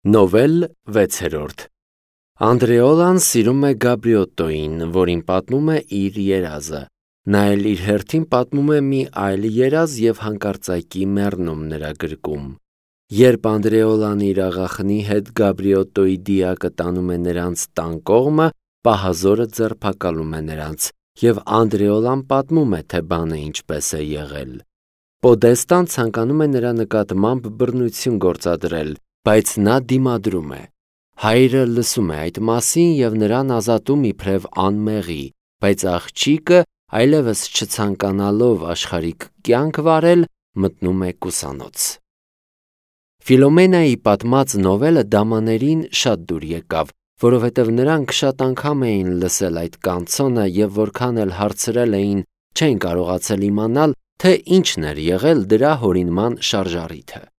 Նովել 6-րդ Անդրեոլան սիրում է Գաբրիոտտոին, որին պատմում է իր երազը։ Նա էլ իր հերթին պատմում է մի այլ երազ և հանկարծակի մեռնում նրա գրկում։ Երբ Անդրեոլան իր աղախնի հետ Գաբրիոտտոյի դիակը տանում է նրանց տան կողմը, պահազորը ձերբակալում է նրանց, և Անդրեոլան պատմում է, թե բանը ինչպես է եղել։ Պոդեստան ցանկանում է նրա նկատմամբ բռնություն գործադրել, բայց նա դիմադրում է։ Հայրը լսում է այդ մասին և նրան ազատում իբրև անմեղի, բայց աղջիկը, այլևս չցանկանալով աշխարհիկ կյանք վարել, մտնում է կուսանոց։ Ֆիլոմենայի պատմած նովելը դամաներին շատ դուր եկավ, որովհետև նրանք շատ անգամ էին լսել այդ կանցոնը և որքան էլ հարցրել էին, չեն կարողացել իմանալ, թե ինչն էր եղել դրա հորինման շարժառիթը։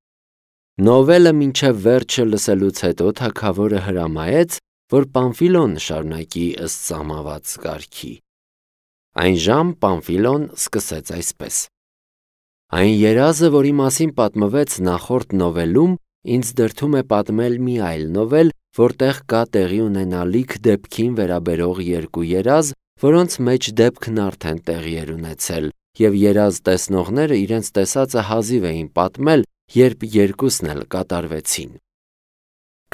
Նովելը մինչև վերջը լսելուց հետո թագավորը հրամայեց, որ Պամֆիլոն շարունակի ըստ սահմանված կարգի։ Այնժամ Պամֆիլոն սկսեց այսպես. Այն երազը, որի մասին պատմվեց նախորդ նովելում, ինձ դրդում է պատմել մի այլ նովել, որտեղ կա տեղի ունենալիք դեպքին վերաբերող երկու երազ, որոնց մեջ դեպքն արդեն տեղի էր ունեցել, և երազ տեսնողները իրենց տեսածը հազիվ էին պատմել, երբ երկուսն էլ կատարվեցին։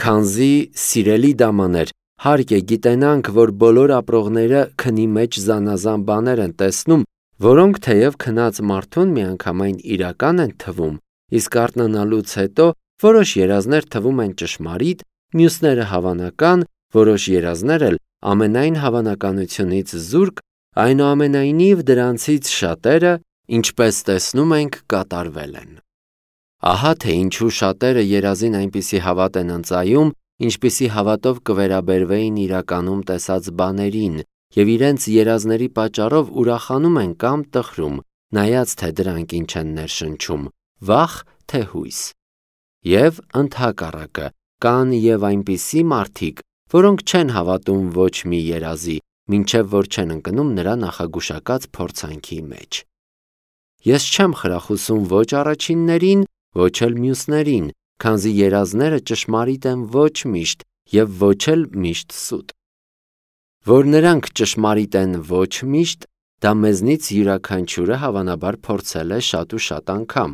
Քանզի, սիրելի դամաներ, հարկ է գիտենանք, որ բոլոր ապրողները քնի մեջ զանազան բաներ են տեսնում, որոնք թեև քնած մարդուն միանգամայն իրական են թվում, իսկ արթնանալուց հետո որոշ երազներ թվում են ճշմարիտ, մյուսները հավանական, որոշ երազներ էլ ամենայն հավանականությունից զուրկ, այնուամենայնիվ դրանցից շատերը, ինչպես տեսնում ենք, կատարվել են։ Ահա թե ինչու շատերը երազին այնպիսի հավատ են ընծայում, ինչպիսի հավատով կվերաբերվեին իրականում տեսած բաներին, և իրենց երազների պատճառով ուրախանում են կամ տխրում, նայած թե դրանք ինչ են ներշնչում, վախ թե հույս։ Եվ ընդհակառակը, կան և այնպիսի մարդիկ, որոնք չեն հավատում ոչ մի երազի, մինչև որ չեն ընկնում նրա նախագուշակած փորձանքի մեջ։ Ես չեմ խրախուսում ոչ առաջիններին, ոչ էլ մյուսներին, քանզի երազները ճշմարիտ են ոչ միշտ և ոչ էլ միշտ սուտ։ Որ նրանք ճշմարիտ են ոչ միշտ, դա մեզնից յուրաքանչյուրը հավանաբար փորձել է շատ ու շատ անգամ։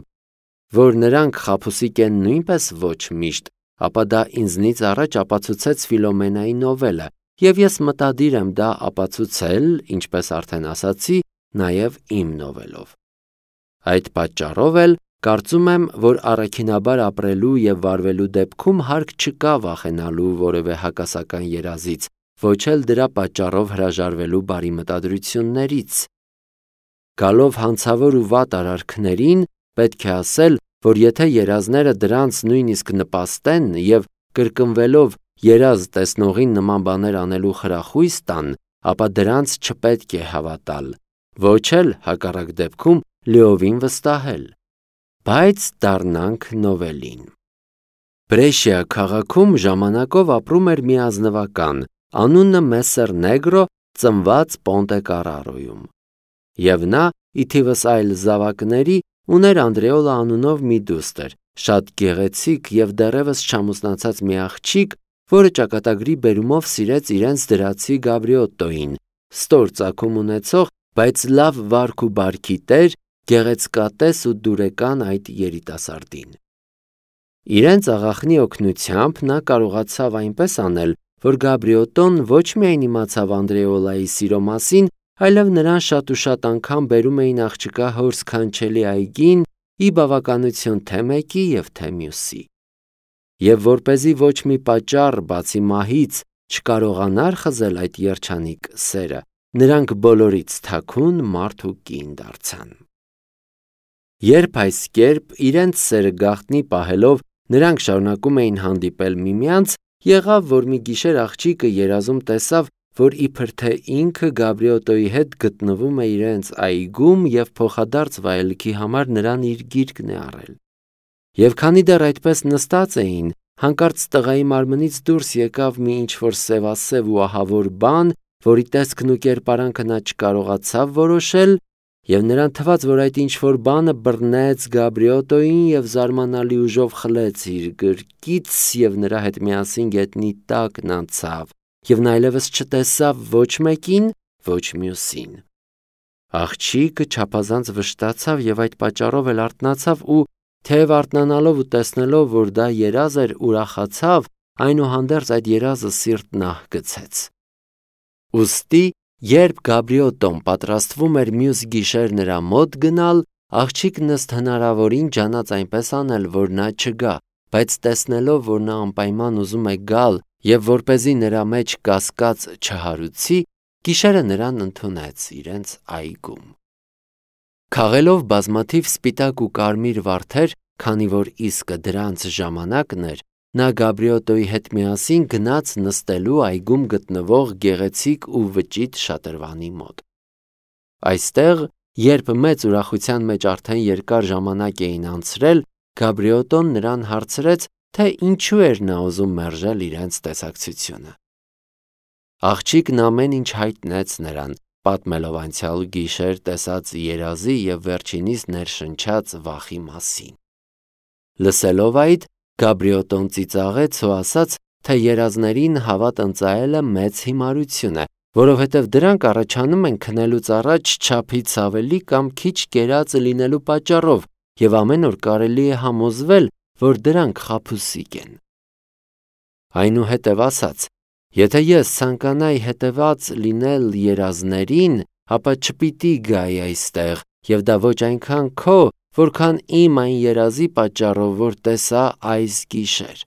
Որ նրանք խաբուսիկ են նույնպես ոչ միշտ, ապա դա ինձնից առաջ ապացուցեց Ֆիլոմենայի նովելը, և ես մտադիր եմ դա ապացուցել, ինչպես արդեն ասացի, նաև իմ նովելով։ Այդ պատճառով էլ կարծում եմ, որ առաքինաբար ապրելու և վարվելու դեպքում հարկ չկա վախենալու որևէ հակասական երազից, ոչ էլ դրա պատճառով հրաժարվելու բարի մտադրություններից։ Գալով հանցավոր ու վատ արարքներին, պետք է ասել, որ եթե երազները դրանց նույնիսկ նպաստեն և կրկնվելով երազ տեսնողին նման բաներ անելու խրախույս տան, ապա դրանց չպետք է հավատալ, ոչ էլ հակառակ դեպքում լիովին վստահել։ Բայց դառնանք նովելին։ Բրեշիա քաղաքում ժամանակով ապրում էր մի ազնվական, անունը Մեսսեր Նեգրո, ծնված Պոնտե Կարարոյում։ Եվ նա, ի թիվս այլ զավակների, ուներ Անդրեոլա անունով մի դուստր, շատ գեղեցիկ և դեռևս չամուսնացած մի աղջիկ, որը ճակատագրի բերումով սիրեց իրենց դրացի Գաբրիոտտոյին, ստոր ծագում ունեցող, բայց լավ վարք ու բարքի տեր, գեղեցկատես ու դուրեկան այդ երիտասարդին։ Իրենց աղախնի օգնությամբ նա կարողացավ այնպես անել, որ Գաբրիոտտոն ոչ միայն իմացավ Անդրեոլայի սիրո մասին, այլև նրան շատ ու շատ անգամ բերում էին աղջկա հոր սքանչելի այգին, ի բավականություն թե մեկի և թե մյուսի։ Եվ որպեսզի ոչ մի պատճառ, բացի մահից, չկարողանար խզել այդ երջանիկ սերը, նրանք բոլորից թաքուն մարդ ու կին դարձան։ Երբ այս կերպ իրենց սերը գաղտնի պահելով նրանք շարունակում էին հանդիպել միմյանց, եղավ, որ մի գիշեր աղջիկը երազում տեսավ, որ իբր թե ինքը Գաբրիոտտոյի հետ գտնվում է իրենց այգում և փոխադարձ վայելքի համար նրան իր գիրկն է առել։ Եվ քանի դեռ այդպես նստած էին, հանկարծ տղայի մարմնից դուրս եկավ մի ինչ-որ սևասև ու ահավոր բան, որի տեսքն ու կերպարանքը նա չկարողացավ որոշել, եւ նրան թվաց, որ այդ ինչ-որ բանը բռնեց Գաբրիոտոյին եւ զարմանալի ուժով խլեց իր գրկից եւ նրա հետ միասին գետնի տակն անցավ եւ նա այլևս չտեսավ ոչ մեկին, ոչ մյուսին։ Աղջիկը չափազանց վշտացավ եւ այդ պատճառով էլ արթնացավ ու թեև արթնանալով ու տեսնելով, որ դա երազ էր, ուրախացավ, այնուհանդերձ այդ երազը սիրտն ահգցեց։ Ուստի, երբ Գաբրիոտոն պատրաստվում էր մյուս գիշեր նրա մոտ գնալ, աղջիկն ըստ հնարավորին ջանաց այնպես անել, որ նա չգա, բայց տեսնելով, որ նա անպայման ուզում է գալ եւ որպեսզի նրա մեջ կասկած չհարուցի, գիշերը նրան ընդունեց իրենց այգում։ Քաղելով բազմաթիվ սպիտակ ու կարմիր վարդեր, քանի որ իսկը դրանց ժամանակն էր, նա Գաբրիոտոյի հետ միասին գնաց նստելու այգում գտնվող գեղեցիկ ու վճիտ շատրվանի մոտ։ Այստեղ, երբ մեծ ուրախության մեջ արդեն երկար ժամանակ էին անցրել, Գաբրիոտոն նրան հարցրեց, թե ինչու էր նա ուզում մերժել իրենց տեսակցությունը։ Աղջիկն ամեն ինչ հայտնեց նրան, պատմելով անցյալ գիշեր տեսած երազի եւ վերջինիս ներշնչած վախի մասին։ Լսելով այդ, Գաբրիոտոն ծիծաղեց ու ասաց, թե երազներին հավատ ընծայելը մեծ հիմարություն է, որովհետև դրանք առաջանում են քնելուց առաջ չափից ավելի կամ քիչ կերած լինելու պատճառով եւ ամեն օր կարելի է համոզվել, որ դրանք խաբուսիկ են։ Այնուհետև ասաց. եթե ես ցանկանայի հետևած լինել երազներին, ապա չպիտի գայի այստեղ եւ դա ոչ այնքան քո, որքան իմ այն երազի պատճառով, որ տեսա այս գիշեր։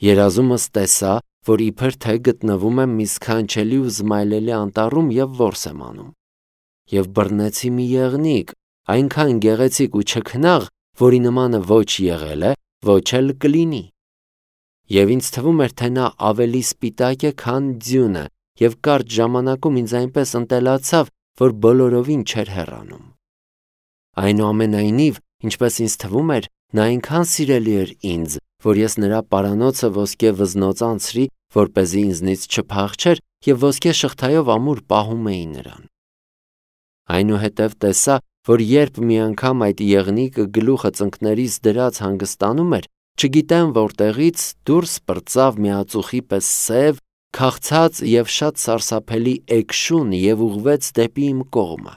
Երազումս տեսա, որ իբր թե գտնվում եմ մի սքանչելի ու զմայլելի անտառում եւ որս եմ անում։ Եվ բռնեցի մի եղնիկ, այնքան գեղեցիկ ու չքնաղ, որի նմանը ոչ եղել է, ոչ էլ կլինի։ Եվ ինձ թվում էր, թե նա ավելի սպիտակ է, քան ձյունը, եւ կարճ ժամանակում ինձ այնպես ընտելացավ, որ բոլորովին չէր հեռանում։ Այնուամենայնիվ, ինչպես ինձ թվում էր, նա այնքան սիրելի էր ինձ, որ ես նրա պարանոցը ոսկե վզնոց անցրի, որպեսզի ինձնից չփախչեր եւ ոսկե շղթայով ամուր պահում էի նրան։ Այնուհետև տեսա, որ երբ մի անգամ այդ եղնիկը գլուխը ծնկներից դրած հանգստանում էր, չգիտեմ որտեղից դուրս պրծավ մի ածուխի պես սև, քաղցած եւ շատ սարսափելի էկշուն եւ ուղղվեց դեպի իմ կողմը։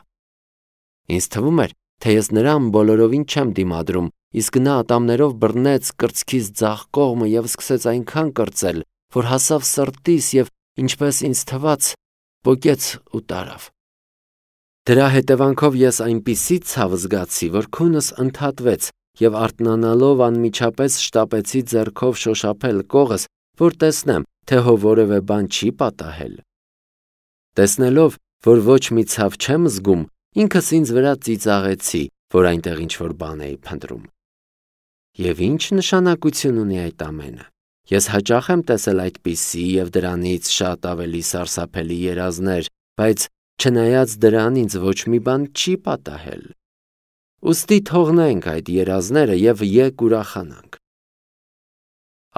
Ինձ թվում էր, թե ես նրան բոլորովին չեմ դիմադրում, իսկ նա ատամներով բռնեց կրծքիս ձախ կողմը եւ սկսեց այնքան կրծել, որ հասավ սրտիս եւ, ինչպես ինձ թվաց, պոկեց ու տարավ։ Դրա հետևանքով ես այնպիսի ցավ զգացի, որ քունս ընդհատվեց եւ արթնանալով անմիջապես շտապեցի ձեռքով շոշափել կողս, որ տեսնեմ, թե հո որևէ բան չի պատահել։ Տեսնելով, որ ոչ մի ցավ չեմ զգում, ինքս ինձ վրա ծիծաղեցի, որ այնտեղ ինչ-որ բան էի փնտրում։ Եվ ինչ նշանակություն ունի այդ ամենը։ Ես հաճախ եմ տեսել այդպիսի եւ դրանից շատ ավելի սարսափելի երազներ, բայց չնայած դրան ինձ ոչ մի բան չի պատահել։ Ուստի թողնենք այդ երազները եւ եկ ուրախանանք։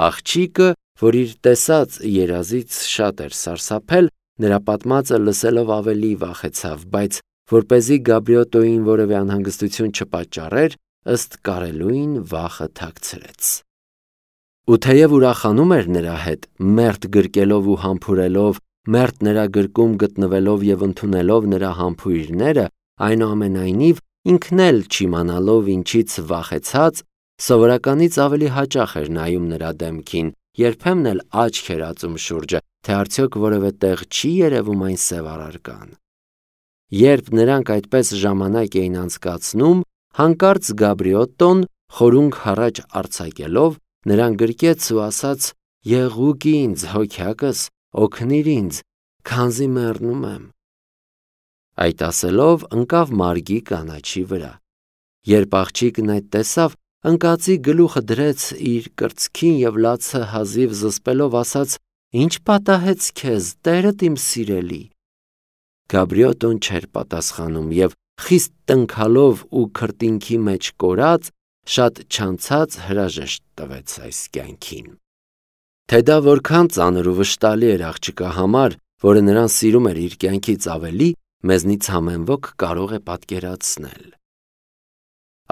Աղջիկը, որ իր տեսած երազից շատ էր սարսափել, նրա պատմածը լսելով ավելի վախեցավ, բայց որպեսզի Գաբրիոտոյին որևէ անհանգստություն չպատճառեր, ըստ կարելույն վախը թաքցրեց։ Ու թեև ուրախանում էր նրա հետ, մերթ գրկելով ու համբուրելով, մերթ նրա գրկում գտնվելով եւ ընդունելով նրա համբույրները, այնուամենայնիվ ինքն էլ չիմանալով ինչից վախեցած, սովորականից ավելի հաճախ էր նայում նրա դեմքին, երբեմն էլ աչք էր ածում շուրջը, թե արդյոք որևէ տեղ չի երևում այն սև առարկան։ Երբ նրանք այդպես ժամանակ էին անցկացնում, հանկարծ Գաբրիոտոն, խորունգ հառաջ արձակելով, նրան գրկեց ու ասաց. «Եղուկ ինձ, հոգյակս, օգնիր ինձ, քանզի մեռնում եմ»։ Այդ ասելով ընկավ մարգի կանաչի վրա։ Երբ աղջիկն այդ տեսավ, ընկածի գլուխը դրեց իր կրծքին եւ լացը հազիվ զսպելով ասաց. «Ինչ պատահեց քեզ, տերդ իմ սիրելի»։ Գաբրիոտոն չէր պատասխանում եւ խիստ տնքալով ու քրտինքի մեջ կորած, շատ չանցած հրաժեշտ տվեց այս կյանքին։ Թե դա որքան ծանր ու վշտալի էր աղջկա համար, որը նրան սիրում էր իր կյանքից ավելի, մեզնից ամեն ոք կարող է պատկերացնել։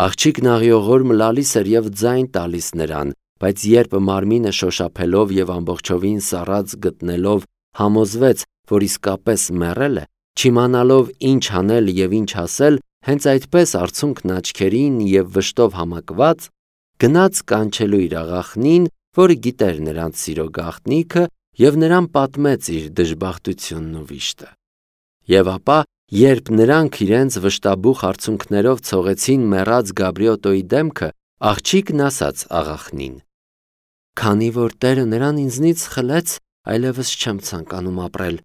Աղջիկն աղիողորմ լալիս էր և ձայն տալիս նրան, բայց երբ մարմինը շոշափելով և ամբողջովին սառած գտնելով համոզվեց, որ իսկապես մեռել է, չիմանալով ինչ անել և ինչ ասել, հենց այդպես արցունքն աչքերին և վշտով համակված, գնաց կանչելու իր աղախնին, որը գիտեր նրանց սիրո գաղտնիքը, և նրան պատմեց իր դժբախտությունն ու վիշտը։ Եվ ապա, երբ նրանք իրենց վշտաբուխ արցունքներով ցողեցին մեռած Գաբրիոտոյի դեմքը, աղջիկն ասաց աղախնին. «Քանի որ Տերը նրան ինձնից խլեց, այլևս չեմ ցանկանում ապրել,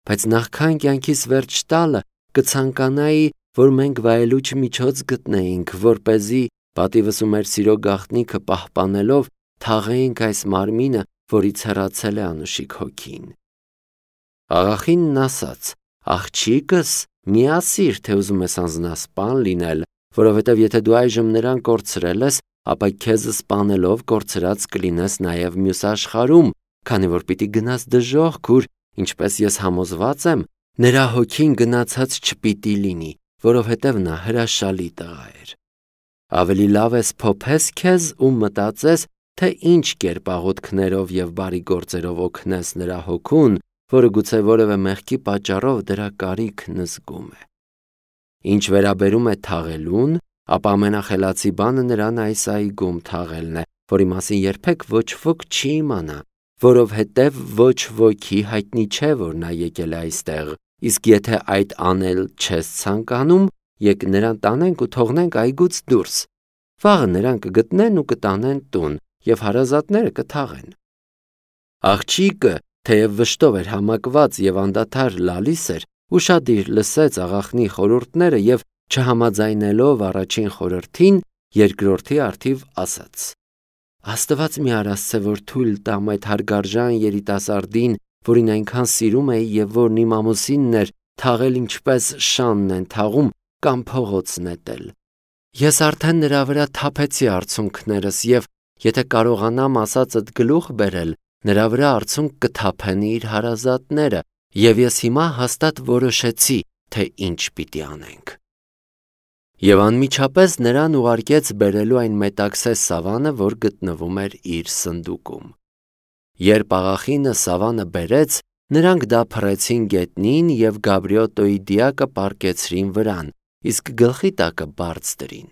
բայց նախքան կյանքիս վերջ տալը կցանկանայի, որ մենք վայելուչ միջոց գտնեինք, որպեսզի պատիվս ու մեր սիրո գաղտնիքը պահպանելով թաղեինք այս մարմինը, որից հեռացել է անուշիկ հոգին»։ Աղախինն ասաց. «Աղջիկս, մի ասիր, թե ուզում ես անձնասպան լինել, որովհետև եթե դու այժմ նրան կորցրել ես, ապա քեզ սպանելով կորցրած կլինես նաև մյուս աշխարհում, քանի որ պիտի գնաս դժոխք, ուր, ինչպես ես համոզված եմ, նրա հոգին գնացած չպիտի լինի, որովհետև նա հրաշալի տղա էր։ Ավելի լավ է սփոփես քեզ ու մտածես, թե ինչ կերպ աղոթքներով և բարի գործերով օգնես նրա հոգուն, որը գուցե որևէ մեղքի պատճառով դրա կարիքն զգում է։ Ինչ վերաբերում է թաղելուն, ապա ամենախելացի բանը նրան այս այգում թաղելն է, որի մասին երբեք ոչ ոք չի իմանա, որովհետև ոչ ոքի հայտնի չէ, որ նա եկել է այստեղ, իսկ եթե այդ անել չես ցանկանում, եկ նրան տանենք ու թողնենք այգուց դուրս։ Վաղը նրան կգտնեն ու կտանեն տուն, և հարազատները կթաղեն։ Աղջիկը, թեև վշտով էր համակված և անդադար լալիս էր, ուշադիր լսեց աղախնի խորհուրդները և չհամաձայնելով առաջին խորհրդին, երկրորդի առթիվ ասաց. «Աստված մի արասցե, որ թույլ տամ այդ հարգարժան երիտասարդին, որին այնքան սիրում էի և որն իմ ամուսինն էր, թաղել ինչպես շանն են թաղում կամ փողոց նետել։ Ես արդեն նրա վրա թափեցի արցունքներս և եթե կարողանամ ասածդ գլուխ բերել, նրա վրա արցունք կթափեն իր հարազատները, և ես հիմա հաստատ որոշեցի, թե ինչ պիտի անենք»։ Եվ անմիջապես նրան ուղարկեց բերելու այն մետաքսե սավանը, որ գտնվում էր իր սնդուկում։ Երբ աղախինը սավանը բերեց, նրանք դա փռեցին գետնին և Գաբրիոտոյի դիակը պառկեցրին վրան, իսկ գլխի տակը բարձ դրին։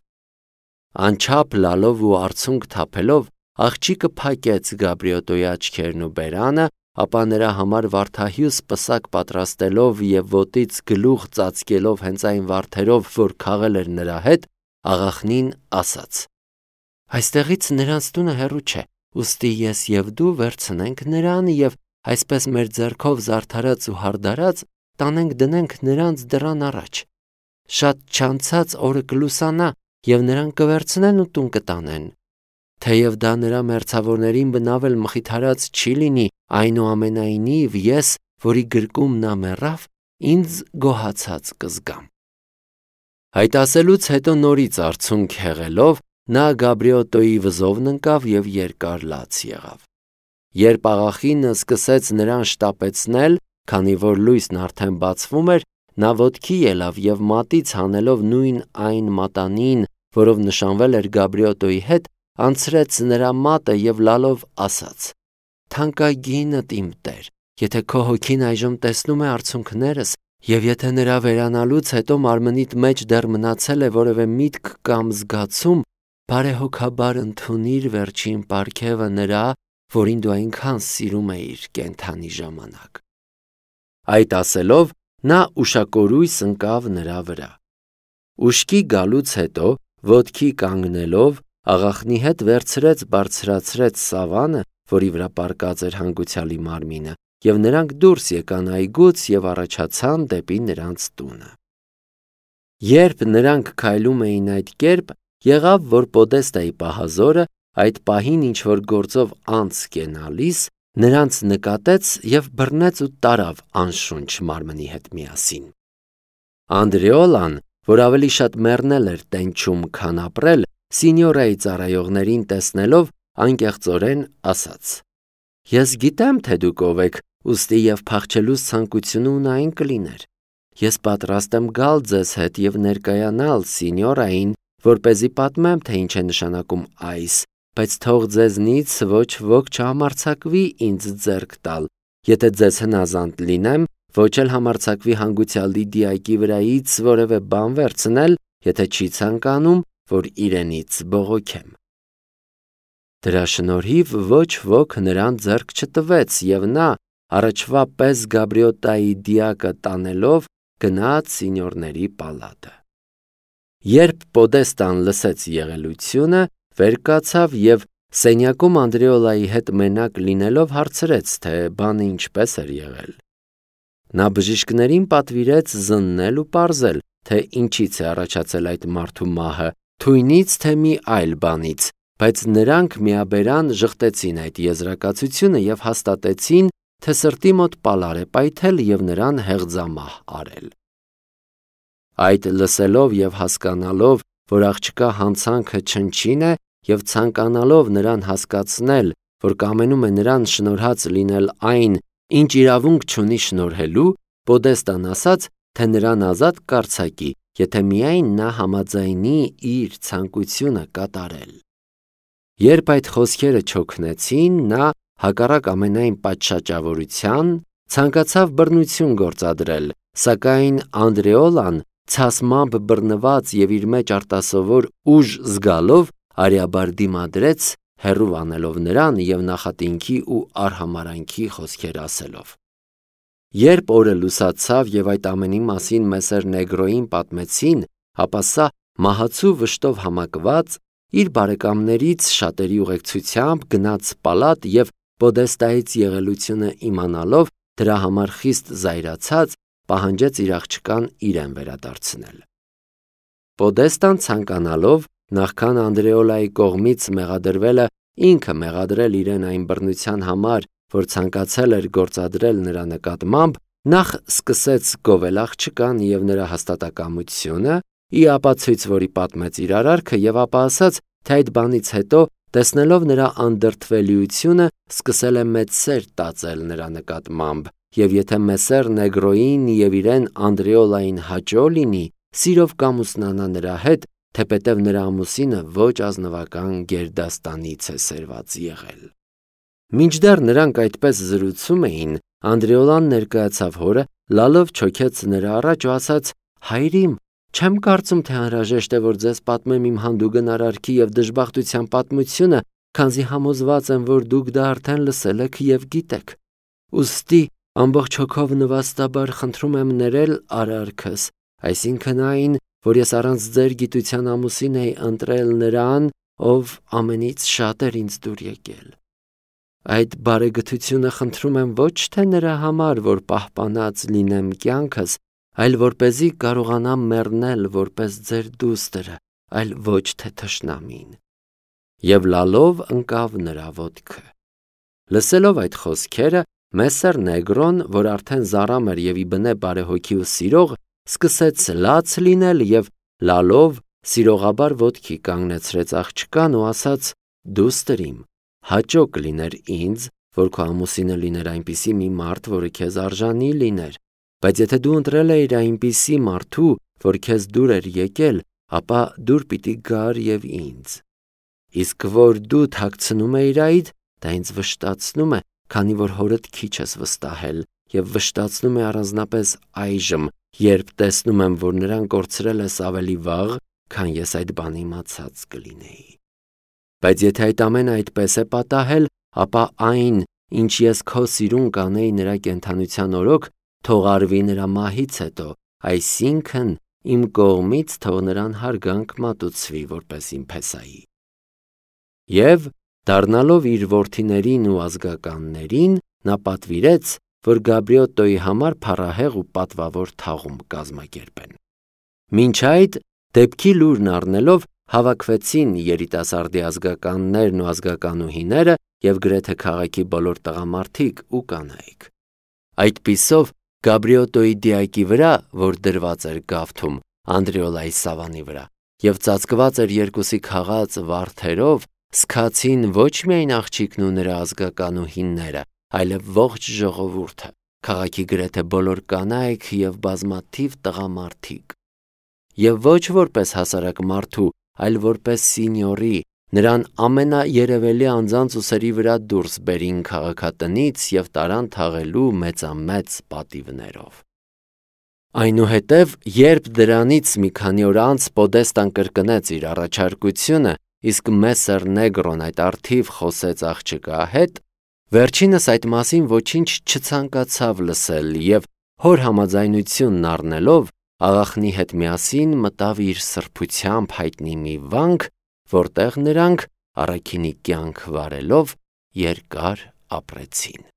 Անչափ լալով ու արցունք թափելով, աղջիկը փակեց Գաբրիոտոյի աչքերն ու բերանը, ապա նրա համար վարդահյուս պսակ պատրաստելով և ոտից գլուխ ծածկելով հենց այն վարդերով, որ քաղել էր նրա հետ, աղախնին ասաց. «Այստեղից նրանց տունը հեռու չէ, ուստի ես և դու վերցնենք նրան և այսպես մեր ձեռքով զարդարած ու հարդարած տանենք դնենք նրանց դռան առաջ։ Շատ չանցած օրը կլուսանա, և նրան կվերցնեն ու տուն կտանեն։ Թեև դա նրա մերձավորներին բնավ էլ մխիթարած չի լինի, այնուամենայնիվ ես, որի գրկում նա մեռավ, ինձ գոհացած կզգամ»։ Այդ ասելուց հետո նորից արցունք հեղելով, նա Գաբրիոտոյի վզովն ընկավ և երկար լաց եղավ։ Երբ աղախինը սկսեց նրան շտապեցնել, քանի որ լույսն արդեն բացվում էր, նա ոտքի ելավ և մատից հանելով նույն այն մատանին, որով նշանվել էր Գաբրիոտոյի հետ, անցրեց նրա մատը և լալով ասաց. «Թանկագինդ իմ Տեր, եթե քո հոգին այժմ տեսնում է արցունքներս, և եթե նրա վերանալուց հետո մարմնիդ մեջ դեռ մնացել է որևէ միտք կամ զգացում, բարեհոգաբար ընդունիր վերջին պարգևը նրա, որին դու այնքան սիրում էիր կենդանի ժամանակ»։ Այդ ասելով, նա ուշակորույս ընկավ նրա վրա։ Ուշքի գալուց հետո, ոտքի կանգնելով, աղախնի հետ վերցրեց բարձրացրեց սավանը, որի վրա պառկած էր հանգուցյալի մարմինը, և նրանք դուրս եկան այգուց և առաջացան դեպի նրանց տունը։ Երբ նրանք քայլում էին այդ կերպ, եղավ, որ Պոդեստայի պահազորը, այդ պահին ինչ-որ գործով անց կենալիս, նրանց նկատեց և բռնեց ու տարավ անշունչ մարմնի հետ միասին։ Անդրեոլան, որ ավելի շատ մեռնել էր տենչում, քան ապրել, Սինյորայի ծառայողներին տեսնելով, անկեղծորեն ասաց. «Ես գիտեմ, թե դուք ով եք, ուստի և փախչելուս ցանկությունը ունային կլիներ։ ես պատրաստ եմ գալ ձեզ հետ և ներկայանալ սինյորային, որպեսզի պատմեմ, թե ինչ է նշանակում այս, բայց թող ձեզնից ոչ ոք չհամարձակվի ինձ ձեռք տալ, եթե ձեզ հնազանդ լինեմ, ոչ էլ համարձակվի հանգուցյալ Լիդիակի վրայից որևէ բան վերցնել, եթե չի ցանկանում, որ իրենից բողոքեմ։ Դրա շնորհիվ ոչ ոք նրան ձեռք չտվեց, և նա առաջվա պես Գաբրիոտայի դիակը տանելով գնաց սինյորների պալատը։ Երբ Պոդեստան լսեց եղելությունը, վեր կացավ և սենյակում Անդրեոլայի հետ մենակ լինելով հարցրեց, թե բանը ինչպես էր եղել։ Նա բժիշկներին պատվիրեց զննել ու պարզել, թե ինչից է առաջացել այդ մարդու մահը, թույնից թե մի այլ բանից, բայց նրանք միաբերան ժխտեցին այդ եզրակացությունը և հաստատեցին, թե սրտի մոտ պալար է պայթել և նրան հեղձամահ արել։ Այդ լսելով և հասկանալով, որ աղջկա հանցանքը չնչին է և ցանկանալով նրան հասկացնել, որ կամենում է նրան շնորհած լինել այն, ինչ իրավունք չունի շնորհելու, Պոդեստան ասաց, թե նրան ազատ կարձակի, եթե միայն նա համաձայնի իր ցանկությունը կատարել։ Երբ այդ խոսքերը չօգնեցին, նա հակառակ ամենայն պատշաճավորության ցանկացավ բռնություն գործադրել, սակայն Անդրեոլան ցասմամբ բռնված և իր մեջ արտասովոր ուժ զգալով արյաբար դիմադրեց, հեռու անելով նրան և նախատինքի ու արհամարհանքի խոսքեր ասելով։ Երբ օրը լուսացավ և այդ ամենի մասին Մեսեր Նեգրոյին պատմեցին, ապա սա մահացու վշտով համակված իր բարեկամներից շատերի ուղեկցությամբ գնաց պալատ և Պոդեստայից եղելությունը իմանալով դրա համար խիստ զայրացած պահանջեց իր աղջկան իրեն վերադարձնել։ Պոդեստան ցանկանալով նախքան Անդրեոլայի կողմից մեղադրվելը ինքը մեղադրել իրեն այն բռնության համար, որ ցանկացել էր գործադրել նրա նկատմամբ, նախ սկսեց գովել աղջկան և նրա հաստատակամությունը, ի ապացույց որի պատմեց իր արարքը և ապա ասաց, թե այդ բանից հետո տեսնելով նրա անդրդվելիությունը սկսել է մեծ սեր տածել նրա նկատմամբ, և եթե Մեսեր Նեգրոյին և իրեն Անդրեոլային հաճո լինի, սիրով կամուսնանա նրա հետ, թեպետև նրա ամուսինը ոչ ազնվական գերդաստանից է սերված եղել։ Մինչդեռ նրանք այդպես զրուցում էին, Անդրեոլան ներկայացավ հորը, լալով չոքեց նրա առաջ ու ասաց. «Հայրիմ, չեմ կարծում, թե անհրաժեշտ է, որ ձեզ պատմեմ իմ հանդուգն արարքի և դժբախտության պատմությունը, քանզի համոզված եմ, որ դուք դա արդեն լսել եք և գիտեք։ Ուստի ամբողջ հոգով նվաստաբար խնդրում եմ ներել արարքս, այսինքն այն, որ ես առանց ձեր գիտության ամուսին էի ընտրել նրան, ով ամենից շատ էր ինձ դուր եկել։ Այդ բարեգթությունը խնդրում եմ ոչ թե նրա համար, որ պահպանած լինեմ կյանքս, այլ որպեսզի կարողանամ մեռնել որպես ձեր դուստրը, այլ ոչ թե թշնամին։ Եվ լալով ընկավ նրա ոտքը։ Լսելով այդ խոսքերը, Մեսեր Նեգրոն, որ արդեն զառամ էր և ի բնե բարեհոգի ու սիրող, սկսեց լաց լինել և լալով սիրողաբար ոտքի կանգնեցրեց աղջկան ու ասաց. «Դուստր իմ, հաճո կլիներ ինձ, որ քո ամուսինը լիներ այնպիսի մի մարդ, որը քեզ արժանի լիներ, բայց եթե դու ընտրել էիր այնպիսի մարդու, որ քեզ դուր էր եկել, ապա դուր պիտի գար և ինձ։ Իսկ որ դու թաքցնում էիր այդ, դա ինձ վշտացնում է, քանի որ հորդ քիչ ես վստահել և վշտացնում է առանձնապես այժմ, երբ տեսնում եմ, որ նրան կորցրել ես ավելի վաղ, քան ես այդ բանը իմացած կլինեի։ Բայց եթե այդ ամենը այդպես է պատահել, ապա այն, ինչ ես քո սիրուն կանեի նրա կենդանության օրոք, թող արվի նրա մահից հետո, այսինքն իմ կողմից թող նրան հարգանք մատուցվի որպես իմ փեսայի։ Եվ դառնալով իր որդիներին ու ազգականներին, նա պատվիրեց, որ Գաբրիոտոյի համար փառահեղ ու պատվավոր թաղում կազմակերպեն։ Մինչ այդ, դեպքի լուրն առնելով, հավաքվեցին երիտասարդի ազգականներն ու ազգականուհիները և գրեթե քաղաքի բոլոր տղամարդիկ ու կանայք։ Այդպիսով Գաբրիոտոյի դիակի վրա, որ դրված էր գավթում Անդրեոլայի սավանի վրա, և ծածկված էր երկուսի քաղած վարդերով, սգացին ոչ միայն աղջիկն ու նրա ազգականուհիները, այլև ողջ ժողովուրդը, քաղաքի գրեթե բոլոր կանայք եւ բազմաթիվ տղամարդիկ։ Եվ ոչ որպես հասարակ մարդու, այլ որպես սինյորի, նրան ամենաերևելի անձանց ուսերի վրա դուրս բերին քաղաքատնից եւ տարան թաղելու մեծամեծ պատիվներով։ Այնուհետև, երբ դրանից մի քանի օր անց Պոդեստան կրկնեց իր առաջարկությունը, իսկ Մեսեր Նեգրոն այդ առթիվ խոսեց աղջկա հետ, վերջինս այդ մասին ոչինչ չցանկացավ լսել եւ հոր համաձայնությունն առնելով աղախնի հետ միասին մտավ իր սրբությամբ հայտնի մի վանք, որտեղ նրանք առաքինի կյանք վարելով երկար ապրեցին։